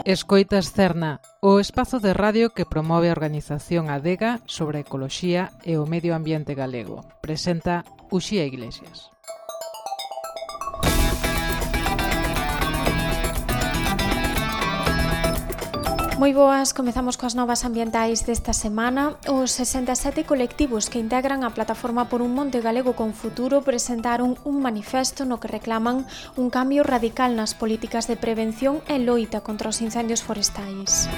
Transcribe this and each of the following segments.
Escoitas Cerna, o espazo de radio que promove a organización Adega sobre a ecoloxía e o medio ambiente galego. Presenta Uxía Iglesias. Moi boas, comezamos coas novas ambientais desta semana. Os 67 colectivos que integran a plataforma Por un Monte Galego con Futuro presentaron un manifesto no que reclaman un cambio radical nas políticas de prevención e loita contra os incendios forestais.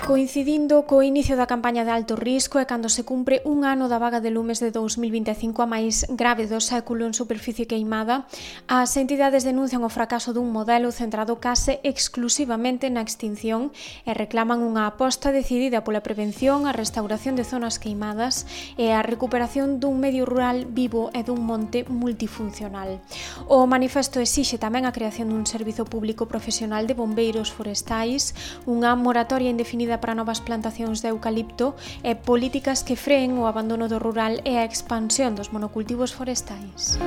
Coincidindo co inicio da campaña de alto risco e cando se cumpre un ano da vaga de lumes de 2025 a máis grave do século en superficie queimada, as entidades denuncian o fracaso dun modelo centrado case exclusivamente na extinción e reclaman unha aposta decidida pola prevención, a restauración de zonas queimadas e a recuperación dun medio rural vivo e dun monte multifuncional. O manifesto exixe tamén a creación dun servizo público profesional de bombeiros forestais, unha moratoria indefinida para novas plantacións de eucalipto e políticas que freen o abandono do rural e a expansión dos monocultivos forestais.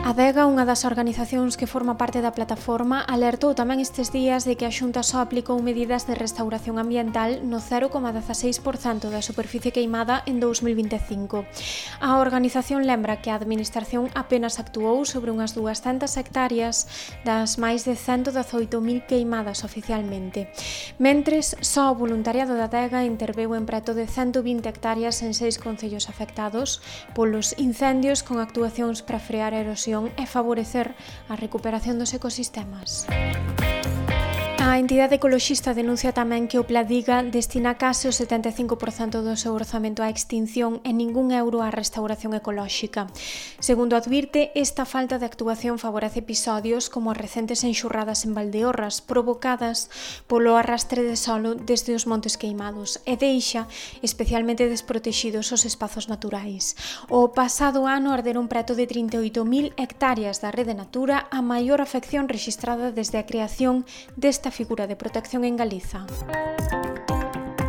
Adega, unha das organizacións que forma parte da plataforma, alertou tamén estes días de que a Xunta só aplicou medidas de restauración ambiental no 0,16% da superficie queimada en 2025. A organización lembra que a administración apenas actuou sobre unhas 200 hectáreas das máis de 118.000 queimadas oficialmente. Mentres, só o voluntariado da Adega interveu en preto de 120 hectáreas en 6 concellos afectados polos incendios con actuacións para frear a erosión e favorecer a recuperación dos ecosistemas. A entidade ecoloxista denuncia tamén que o Pladiga destina case o 75% do seu orzamento á extinción e ningún euro á restauración ecolóxica. Segundo advirte, esta falta de actuación favorece episodios como as recentes enxurradas en Valdeorras provocadas polo arrastre de solo desde os montes queimados e deixa especialmente desprotexidos os espazos naturais. O pasado ano arderon preto de 38.000 hectáreas da rede Natura, a maior afección rexistrada desde a creación desta figura de protección en Galiza.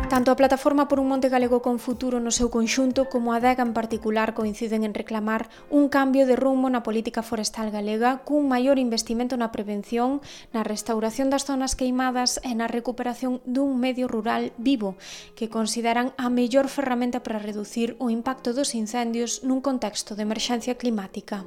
Tanto a plataforma Por un Monte Galego con Futuro no seu conxunto como a Adega en particular coinciden en reclamar un cambio de rumbo na política forestal galega cun maior investimento na prevención, na restauración das zonas queimadas e na recuperación dun medio rural vivo que consideran a mellor ferramenta para reducir o impacto dos incendios nun contexto de emerxencia climática.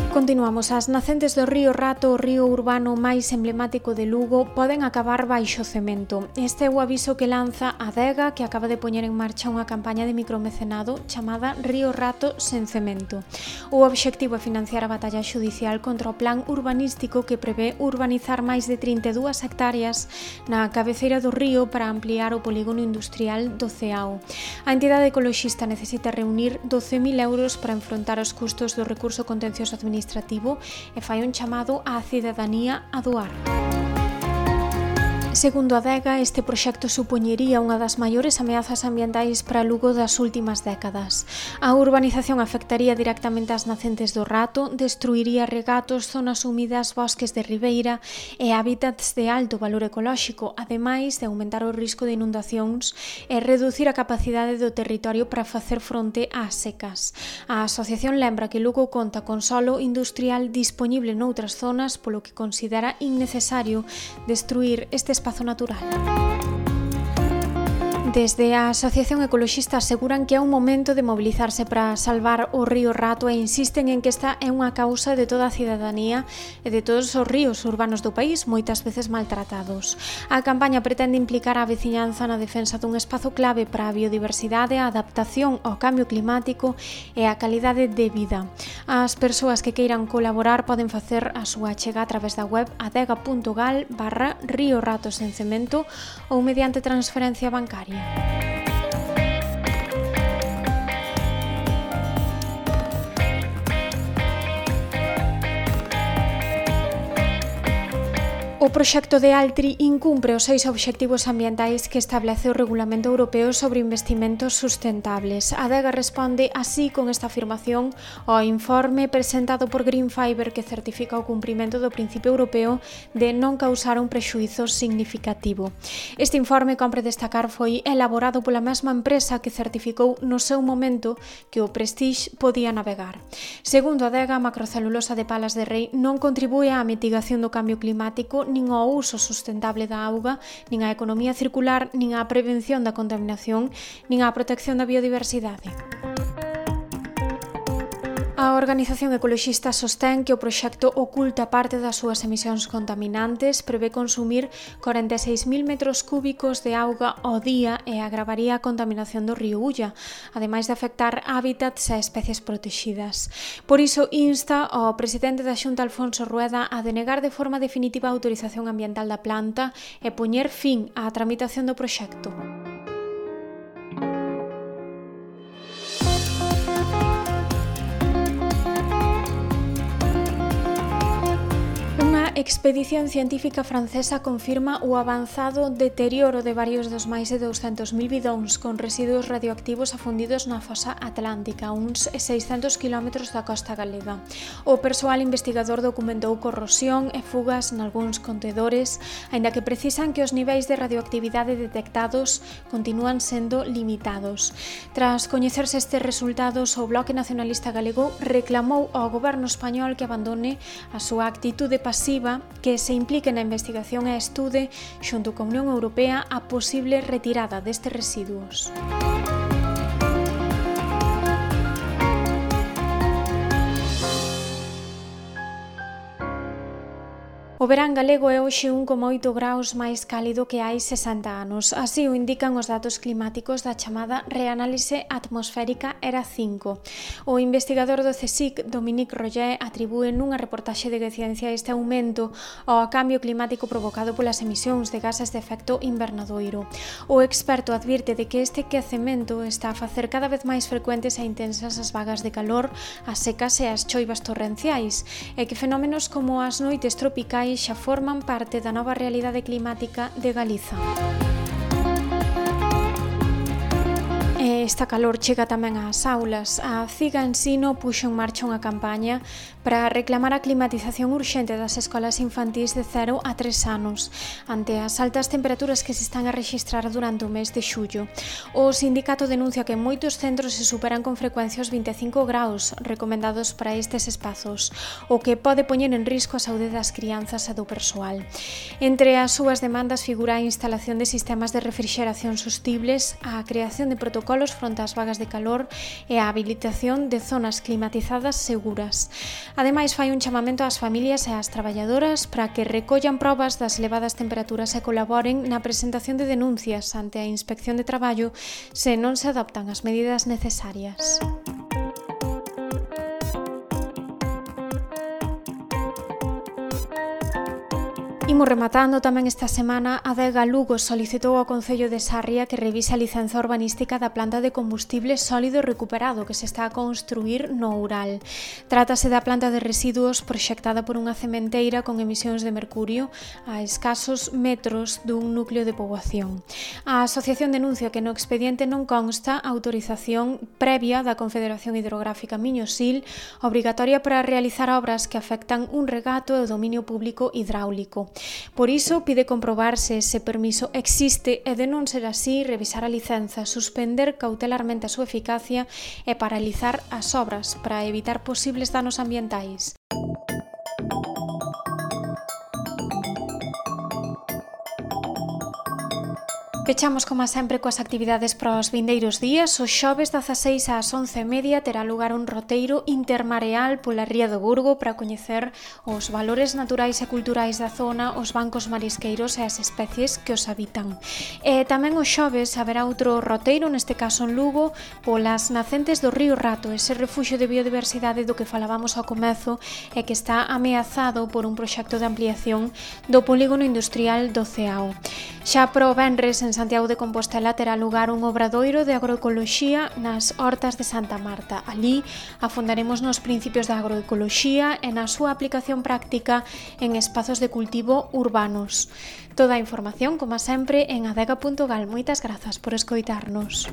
Continuamos. As nacentes do río Rato, o río urbano máis emblemático de Lugo, poden acabar baixo cemento. Este é o aviso que lanza a Adega, que acaba de poñer en marcha unha campaña de micromecenado chamada Río Rato sen cemento. O obxectivo é financiar a batalla xudicial contra o plan urbanístico que prevé urbanizar máis de 32 hectáreas na cabeceira do río para ampliar o polígono industrial do Ceao. A entidade ecoloxista necesita reunir 12.000 euros para enfrontar os custos do recurso contencioso administrativo e fai un chamado á cidadanía a doar. Segundo a Adega, este proxecto supoñería unha das maiores ameazas ambientais para Lugo das últimas décadas. A urbanización afectaría directamente as nacentes do Rato, destruiría regatos, zonas húmidas, bosques de ribeira e hábitats de alto valor ecolóxico, ademais de aumentar o risco de inundacións e reducir a capacidade do territorio para facer fronte ás secas. A asociación lembra que Lugo conta con solo industrial dispoñible noutras zonas, polo que considera innecesario destruir este espazo natural. Desde a Asociación Ecoloxista aseguran que é un momento de mobilizarse para salvar o río Rato e insisten en que esta é unha causa de toda a cidadanía e de todos os ríos urbanos do país, moitas veces maltratados. A campaña pretende implicar a veciñanza na defensa dun espazo clave para a biodiversidade, a adaptación ao cambio climático e a calidade de vida. As persoas que queiran colaborar poden facer a súa achega a través da web adega.gal/Río Rato sen cemento ou mediante transferencia bancaria. O O proxecto de Altri incumpre os 6 obxectivos ambientais que establece o Regulamento Europeo sobre Investimentos Sustentables. A Adega responde así con esta afirmación ao informe presentado por Green Fiber que certifica o cumprimento do principio europeo de non causar un prexuízo significativo. Este informe, compre destacar, foi elaborado pola mesma empresa que certificou no seu momento que o Prestige podía navegar. Segundo a Adega, a macrocelulosa de Palas de Rei non contribúe á mitigación do cambio climático, nin ao uso sustentable da auga, nin á economía circular, nin á prevención da contaminación, nin á protección da biodiversidade. A organización ecoloxista sostén que o proxecto oculta parte das súas emisións contaminantes, prevé consumir 46.000 metros cúbicos de auga ao día e agravaría a contaminación do río Ulla, ademais de afectar hábitats e especies protegidas. Por iso insta ao presidente da Xunta, Alfonso Rueda, a denegar de forma definitiva a autorización ambiental da planta e poñer fin á tramitación do proxecto. A expedición científica francesa confirma o avanzado deterioro de varios dos máis de 200.000 bidóns con residuos radioactivos afundidos na fosa atlántica, a uns 600 km da costa galega. O persoal investigador documentou corrosión e fugas nalgúns contedores, aínda que precisan que os niveis de radioactividade detectados continúan sendo limitados. Tras coñecerse estes resultados, o Bloque Nacionalista Galego reclamou ao goberno español que abandone a súa actitude pasiva, que se implique na investigación e estude, xunto con a Unión Europea, a posible retirada destes residuos. O verán galego é hoxe 1,8 graus máis cálido que hai 60 anos. Así o indican os datos climáticos da chamada reanálise atmosférica ERA 5. O investigador do CSIC, Dominique Roger, atribúe nunha reportaxe de Ciencia este aumento ao cambio climático provocado polas emisións de gases de efecto invernadoiro. O experto advirte de que este quecemento está a facer cada vez máis frecuentes e intensas as vagas de calor, as secas e as choivas torrenciais, e que fenómenos como as noites tropicais xa forman parte da nova realidade climática de Galiza. Esta calor chega tamén ás aulas. A CIGA Ensino puxo en marcha unha campaña para reclamar a climatización urxente das escolas infantís de 0 a 3 anos, ante as altas temperaturas que se están a rexistrar durante o mes de xullo. O sindicato denuncia que en moitos centros se superan con frecuencia os 25 graus recomendados para estes espazos, o que pode poñer en risco a saúde das crianzas e do persoal. Entre as súas demandas figura a instalación de sistemas de refrigeración sostibles, a creación de protocolos fronte ás vagas de calor e a habilitación de zonas climatizadas seguras. Ademais, fai un chamamento ás familias e ás traballadoras para que recollan probas das elevadas temperaturas e colaboren na presentación de denuncias ante a Inspección de Traballo se non se adoptan as medidas necesarias. Imos rematando tamén esta semana. A Adega Lugo solicitou ao Concello de Sarria que revise a licenza urbanística da planta de combustible sólido recuperado que se está a construir no Oural. Trátase da planta de residuos proxectada por unha cementeira con emisións de mercurio a escasos metros dun núcleo de poboación. A asociación denuncia que no expediente non consta autorización previa da Confederación Hidrográfica Miño-Sil obrigatoria para realizar obras que afectan un regato e o dominio público hidráulico. Por iso, pide comprobar se ese permiso existe e, de non ser así, revisar a licenza, suspender cautelarmente a súa eficacia e paralizar as obras para evitar posibles danos ambientais. Pechamos, como sempre, coas actividades para os vindeiros días. O xoves 16 ás 11:30 terá lugar un roteiro intermareal pola Ría do Burgo para coñecer os valores naturais e culturais da zona, os bancos marisqueiros e as especies que os habitan. E tamén o xoves haberá outro roteiro, neste caso en Lugo, polas nacentes do río Rato, ese refuxio de biodiversidade do que falábamos ao comezo e que está ameazado por un proxecto de ampliación do polígono industrial do Ceao. Xa para o venres, en Santiago de Compostela terá lugar un obradoiro de agroecoloxía nas hortas de Santa Marta. Ali afondaremos nos principios da agroecoloxía e na súa aplicación práctica en espazos de cultivo urbanos. Toda a información, como sempre, en adega.gal. Moitas grazas por escoitarnos.